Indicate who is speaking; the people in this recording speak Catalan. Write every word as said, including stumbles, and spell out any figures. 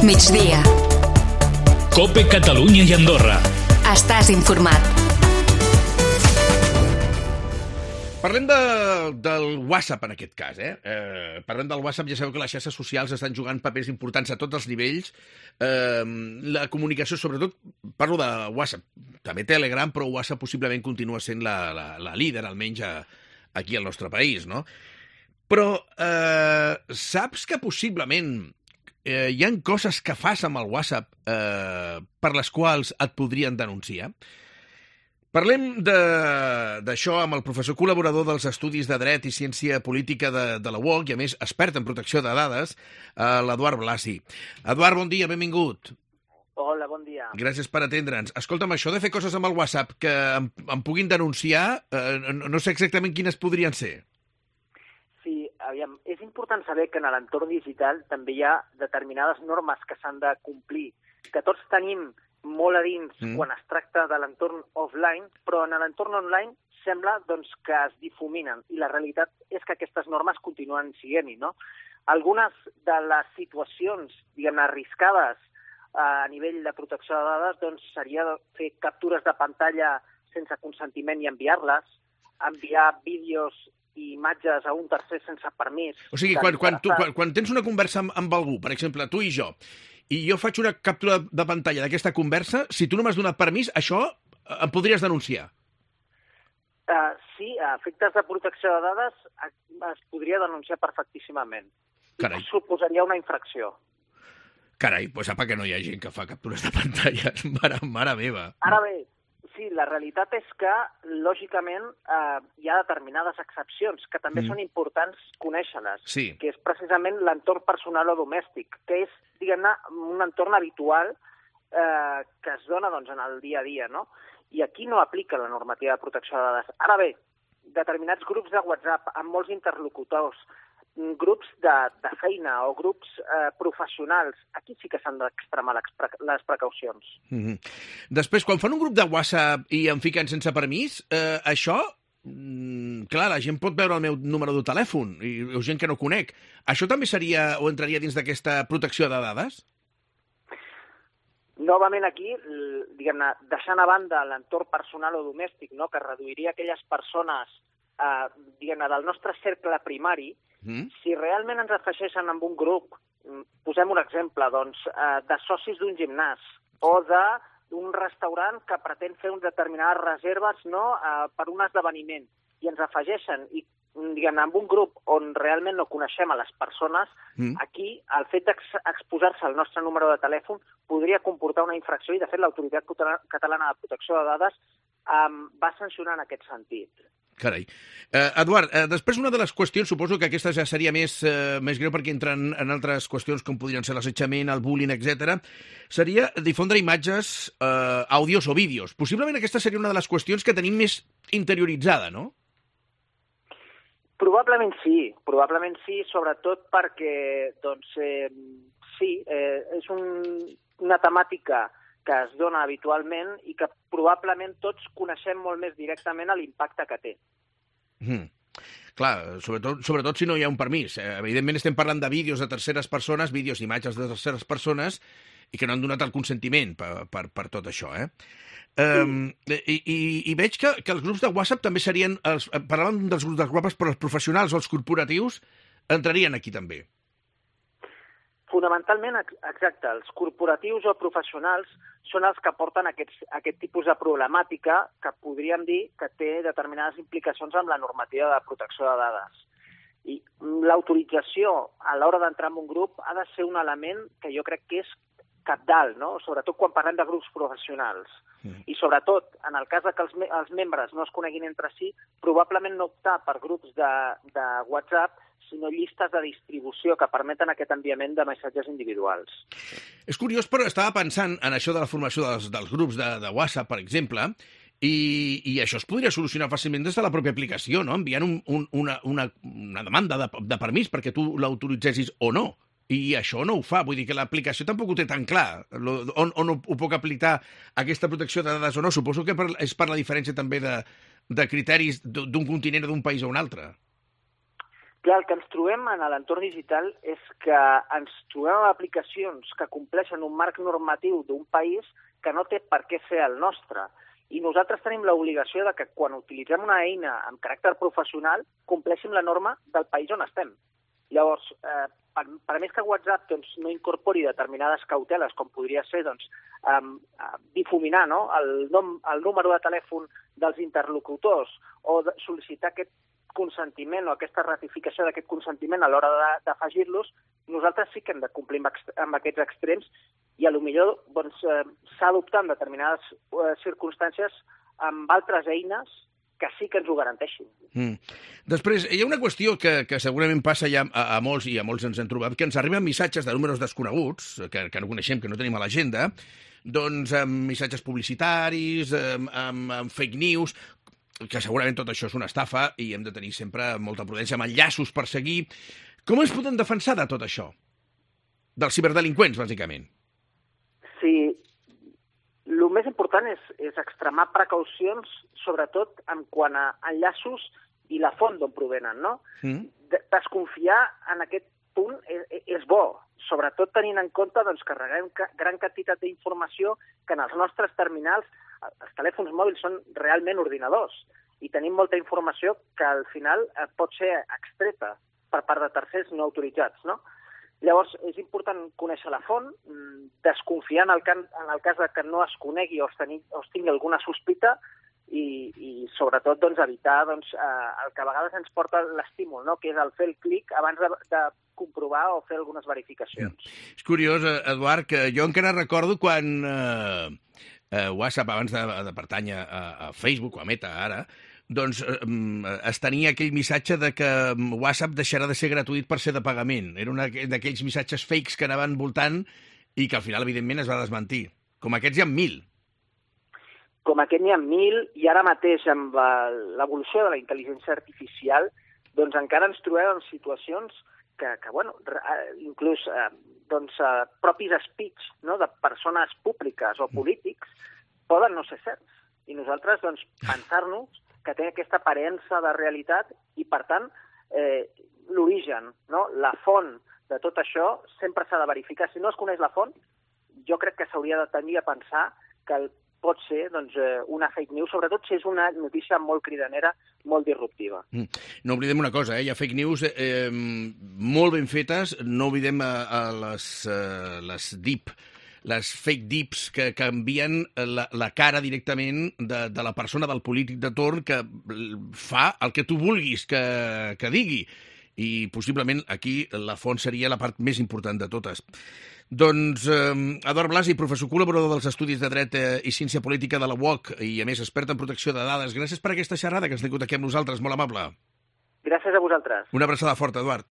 Speaker 1: migdia.
Speaker 2: COPE Catalunya i Andorra.
Speaker 1: Estàs informat.
Speaker 3: Parlem de, del WhatsApp en aquest cas, eh? eh? Parlem del WhatsApp, ja sabeu que les xarxes socials estan jugant papers importants a tots els nivells. Eh, la comunicació, sobretot, parlo de WhatsApp, també Telegram, però WhatsApp possiblement continua sent la, la, la líder, almenys a, aquí al nostre país, no? Però eh, saps que possiblement eh, hi ha coses que fas amb el WhatsApp eh, per les quals et podrien denunciar? Parlem d'això amb el professor col·laborador dels Estudis de Dret i Ciència Política de, de la U O C i, a més, expert en protecció de dades, eh, l'Eduard Blasi. Eduard, bon dia, benvingut.
Speaker 4: Hola, bon dia.
Speaker 3: Gràcies per atendre'ns. Escolta'm, això de fer coses amb el WhatsApp que em, em puguin denunciar, eh, no, no sé exactament quines podrien ser.
Speaker 4: Sí, aviam, és important saber que en l'entorn digital també hi ha determinades normes que s'han de complir, que tots tenim molt a dins mm. quan es tracta de l'entorn offline, però en l'entorn online sembla doncs, que es difuminen, i la realitat és que aquestes normes continuen sent-hi, no? Algunes de les situacions, diguem-ne, arriscades eh, a nivell de protecció de dades doncs, seria fer captures de pantalla sense consentiment i enviar-les, enviar vídeos i imatges a un tercer sense permís.
Speaker 3: O sigui, quan, quan, tu, quan, quan tens una conversa amb, amb algú, per exemple, tu i jo, i jo faig una captura de pantalla d'aquesta conversa, si tu no m'has donat permís, això em podries denunciar?
Speaker 4: Uh, sí, a efectes de protecció de dades es podria denunciar perfectíssimament.
Speaker 3: Carai.
Speaker 4: I suposaria una infracció.
Speaker 3: Carai, doncs apa que no hi ha gent que fa captures de pantalles, mare, mare meva.
Speaker 4: Ara bé, sí, la realitat és que, lògicament, eh, hi ha determinades excepcions que també mm. són importants conèixer-les,
Speaker 3: sí.
Speaker 4: que és precisament l'entorn personal o domèstic, que és, diguem-ne, un entorn habitual eh, que es dona doncs, en el dia a dia, no? I aquí no aplica la normativa de protecció de dades. Ara bé, determinats grups de WhatsApp amb molts interlocutors, grups de, de feina o grups eh, professionals, aquí sí que s'han d'extremar les, pre les precaucions.
Speaker 3: Mm-hmm. Després, quan fan un grup de WhatsApp i em fiquen sense permís, eh, això, mm, clar, la gent pot veure el meu número de telèfon, i, i gent que no conec. Això també seria o entraria dins d'aquesta protecció de dades?
Speaker 4: Novament aquí, diguem-ne, deixant a banda l'entorn personal o domèstic, no?, que reduiria aquelles persones eh, diguem-ne, del nostre cercle primari, Mm. si realment ens afegeixen amb un grup, posem un exemple, doncs, eh, de socis d'un gimnàs o d'un restaurant que pretén fer unes determinades reserves, no?, eh, per un esdeveniment, i ens afegeixen i diguem-ne, amb un grup on realment no coneixem a les persones, mm. aquí el fet d'exposar-se al nostre número de telèfon podria comportar una infracció, i de fet l'Autoritat Catalana de Protecció de Dades eh, va sancionar en aquest sentit.
Speaker 3: Carai. Eh, Eduard, eh, després una de les qüestions, suposo que aquesta ja seria més, eh, més greu perquè entren en altres qüestions com podrien ser l'assetjament, el bullying, etcètera, seria difondre imatges, eh, àudios o vídeos. Possiblement aquesta seria una de les qüestions que tenim més interioritzada, no?
Speaker 4: Probablement sí, probablement sí, sobretot perquè, doncs, eh, sí, eh, és un, una temàtica que es dona habitualment i que probablement tots coneixem molt més directament l'impacte que té.
Speaker 3: Mm. Clar, sobretot, sobretot si no hi ha un permís. Eh, evidentment estem parlant de vídeos de terceres persones, vídeos i imatges de terceres persones, i que no han donat el consentiment per, per, per tot això, eh? Um, sí. i, i, I veig que, que els grups de WhatsApp també serien, els, parlàvem dels grups de WhatsApp, però els professionals o els corporatius entrarien aquí també.
Speaker 4: Fonamentalment, exacte, els corporatius o professionals són els que porten aquests, aquest tipus de problemàtica que podríem dir que té determinades implicacions amb la normativa de protecció de dades. I l'autorització a l'hora d'entrar en un grup ha de ser un element que jo crec que és cabdal, no? Sobretot quan parlem de grups professionals. Mm. I sobretot, en el cas de que els, me els membres no es coneguin entre si, probablement no optar per grups de, de WhatsApp, sinó llistes de distribució que permeten aquest enviament de missatges individuals.
Speaker 3: És curiós, però estava pensant en això de la formació dels, dels grups de, de WhatsApp, per exemple, i, i això es podria solucionar fàcilment des de la pròpia aplicació, no? Enviant un, un, una, una, una demanda de, de permís perquè tu l'autoritzessis o no. I això no ho fa, vull dir que l'aplicació tampoc ho té tan clar. On, on ho puc aplicar aquesta protecció de dades o no? Suposo que per, és per la diferència també de, de criteris d'un continent o d'un país a un altre.
Speaker 4: Clar, el que ens trobem en l'entorn digital és que ens trobem amb aplicacions que compleixen un marc normatiu d'un país que no té per què ser el nostre. I nosaltres tenim l'obligació de que quan utilitzem una eina amb caràcter professional compleixin la norma del país on estem. Llavors, eh, per, per més que WhatsApp doncs, no incorpori determinades cauteles, com podria ser doncs, um, difuminar no? el, nom, el número de telèfon dels interlocutors o de sol·licitar aquest consentiment o aquesta ratificació d'aquest consentiment a l'hora d'afegir-los, nosaltres sí que hem de complir amb, amb aquests extrems i potser doncs, eh, s'ha d'optar en determinades eh, circumstàncies amb altres eines que sí que ens ho garanteixin.
Speaker 3: Mm. Després, hi ha una qüestió que, que segurament passa ja a, a molts, i a molts ens hem trobat, que ens arriben missatges de números desconeguts, que, que no coneixem, que no tenim a l'agenda, doncs amb missatges publicitaris, amb, amb, amb fake news, que segurament tot això és una estafa i hem de tenir sempre molta prudència amb enllaços per seguir. Com ens podem defensar de tot això? Dels ciberdelinqüents, bàsicament.
Speaker 4: Sí, el més important és, és extremar precaucions, sobretot en quant a enllaços i la font d'on provenen, no? Mm. Desconfiar en aquest punt és, és bo, sobretot tenint en compte doncs, que reguem gran quantitat d'informació que en els nostres terminals, els telèfons mòbils són realment ordinadors i tenim molta informació que al final pot ser extreta per part de tercers no autoritzats, no? Llavors, és important conèixer la font, desconfiar en el, can, en el cas de que no es conegui o es, teni, o es tingui alguna sospita i, i sobretot, doncs, evitar doncs, eh, el que a vegades ens porta l'estímul, no? Que és el fer el clic abans de, de comprovar o fer algunes verificacions.
Speaker 3: Mm. És curiós, Eduard, que jo encara recordo quan eh, eh, WhatsApp, abans de, de pertànyer a, a Facebook o a Meta ara, doncs eh, es tenia aquell missatge de que WhatsApp deixarà de ser gratuït per ser de pagament. Era un d'aquells missatges fakes que anaven voltant i que al final, evidentment, es va desmentir. Com aquests hi ha mil.
Speaker 4: Com aquest n'hi ha mil, i ara mateix amb l'evolució de la intel·ligència artificial, doncs encara ens trobem en situacions que, que bueno, inclús eh, doncs, eh, propis speech, no?, de persones públiques o polítics poden no ser certs. I nosaltres, doncs, pensar-nos que té aquesta aparença de realitat i, per tant, eh, l'origen, no?, la font de tot això sempre s'ha de verificar. Si no es coneix la font, jo crec que s'hauria de tenir a pensar que el pot ser doncs, una fake news, sobretot si és una notícia molt cridanera, molt disruptiva.
Speaker 3: Mm. No oblidem una cosa, eh? Hi ha fake news eh, molt ben fetes, no oblidem a, a les, uh, les deep, les fake deeps que canvien la, la cara directament de, de la persona, del polític de torn, que fa el que tu vulguis que, que digui. I possiblement aquí la font seria la part més important de totes. Doncs eh, Eduard Blasi, professor col·laborador dels Estudis de Dret eh, i Ciència Política de la U O C i, a més, expert en protecció de dades. Gràcies per aquesta xerrada que ens tingut aquí amb nosaltres, molt amable.
Speaker 4: Gràcies a vosaltres.
Speaker 3: Una abraçada forta, Eduard.